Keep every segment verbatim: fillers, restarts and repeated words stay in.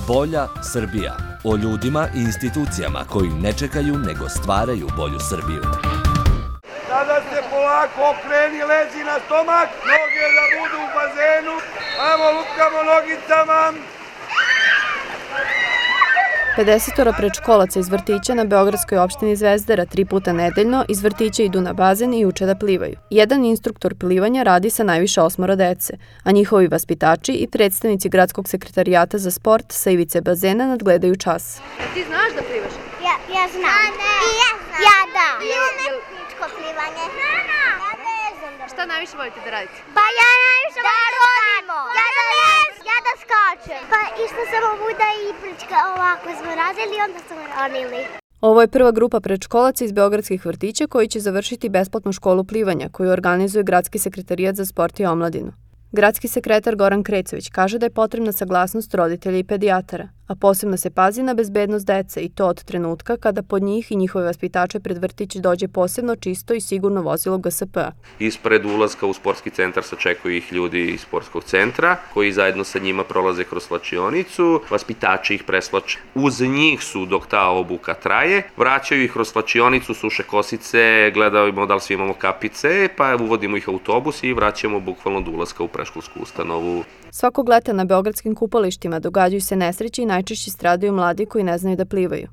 Bolja Srbija. O ljudima i institucijama koji ne čekaju nego stvaraju bolju Srbiju. Sada se polako okreni, lezi na stomak, noge da budu u bazenu, ajmo lupkamo nogicama. pedesetora predškolaca iz vrtića na beogradskoj opštini Zvezdara tri puta nedeljno iz vrtića idu na bazen i uče da plivaju. Jedan instruktor plivanja radi sa najviše osmoro dece, a njihovi vaspitači i predstavnici Gradskog sekretarijata za sport sa ivice bazena nadgledaju čas. Ti znaš da plivaš? Ja, ja znam. I ja znam. Ja da. I umetničko plivanje. Ja ne znam da. Šta najviše volite da radite? Pa ja najviše da rodimo. Ja da ja da skačem. Pa išla sam ovuda i prička ovako smo radili i onda smo ronili. Ovo je prva grupa predškolaca iz beogradskih vrtića koji će završiti besplatnu školu plivanja koju organizuje Gradski sekretarijat za sport i omladinu. Gradski sekretar Goran Krecović kaže da je potrebna saglasnost roditelja i pedijatara, a posebno se pazi na bezbednost dece i to od trenutka kada pod njih i njihove vaspitače pred vrtić dođe posebno čisto i sigurno vozilo G S P-a. Ispred ulaska u sportski centar sačekuju ih ljudi iz sportskog centra koji zajedno sa njima prolaze kroz slačionicu, vaspitači ih preslače. Uz njih su dok ta obuka traje, vraćaju ih kroz slačionicu, suše kosice, gledamo da li svi imamo kapice, pa uvodimo ih u autobus i vraćamo bukvalno do ulaska u predškolsku ustanovu. Svakog leta na beogradskim kupalištima događaju se nesreće i najčešće stradaju mladi koji ne znaju da plivaju.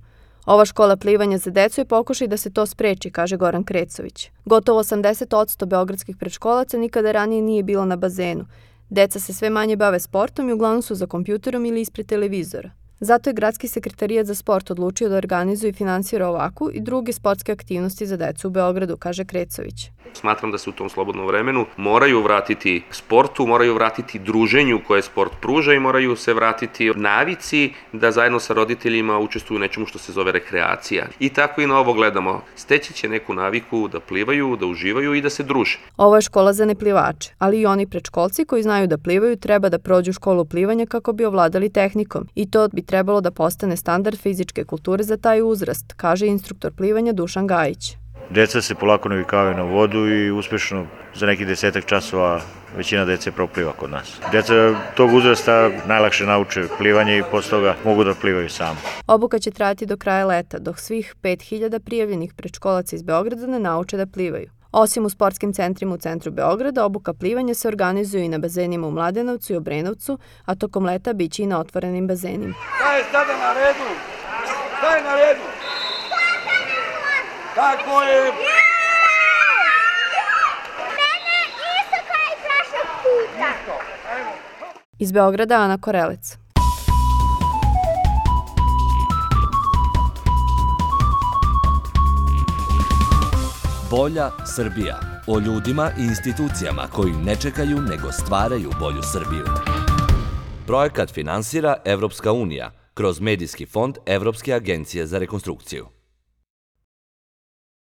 Ova škola plivanja za decu je pokušaj da se to spreči, kaže Goran Krecović. Gotovo osamdeset posto beogradskih predškolaca nikada ranije nije bilo na bazenu. Deca se sve manje bave sportom i uglavnom su za kompjuterom ili ispred televizora. Zato je Gradski sekretarijat za sport odlučio da organizuje i finansira ovakvu i druge sportske aktivnosti za decu u Beogradu, kaže Krecović. Smatram da se u tom slobodnom vremenu moraju vratiti sportu, moraju vratiti druženju koje sport pruža i moraju se vratiti navici da zajedno sa roditeljima učestvuju u nečemu što se zove rekreacija. I tako i na ovo gledamo. Steći će neku naviku da plivaju, da uživaju i da se druže. Ovo je škola za neplivače, ali i oni predškolci koji znaju da plivaju treba da prođu školu plivanja kako bi ovladali tehnikom i to bi trebalo da postane standard fizičke kulture za taj uzrast, kaže instruktor plivanja Dušan Gajić. Deca se polako navikavaju na vodu i uspešno za nekih desetak časova većina dece propliva kod nas. Deca tog uzrasta najlakše nauče plivanje i posle toga mogu da plivaju sami. Obuka će trajati do kraja leta, dok svih pet hiljada prijavljenih predškolaca iz Beograda ne nauče da plivaju. Osim u sportskim centrima u centru Beograda, obuka plivanja se organizuje i na bazenima u Mladenovcu i Obrenovcu, a tokom leta biće i na otvorenim bazenima. Šta je sada na redu? Šta je na redu? Tako je! Mene isto kao i prošlog puta. Iz Beograda Ana Korelec. Bolja Srbija. O ljudima i institucijama koji ne čekaju nego stvaraju bolju Srbiju. Projekat finansira Evropska unija kroz Medijski fond Evropske agencije za rekonstrukciju.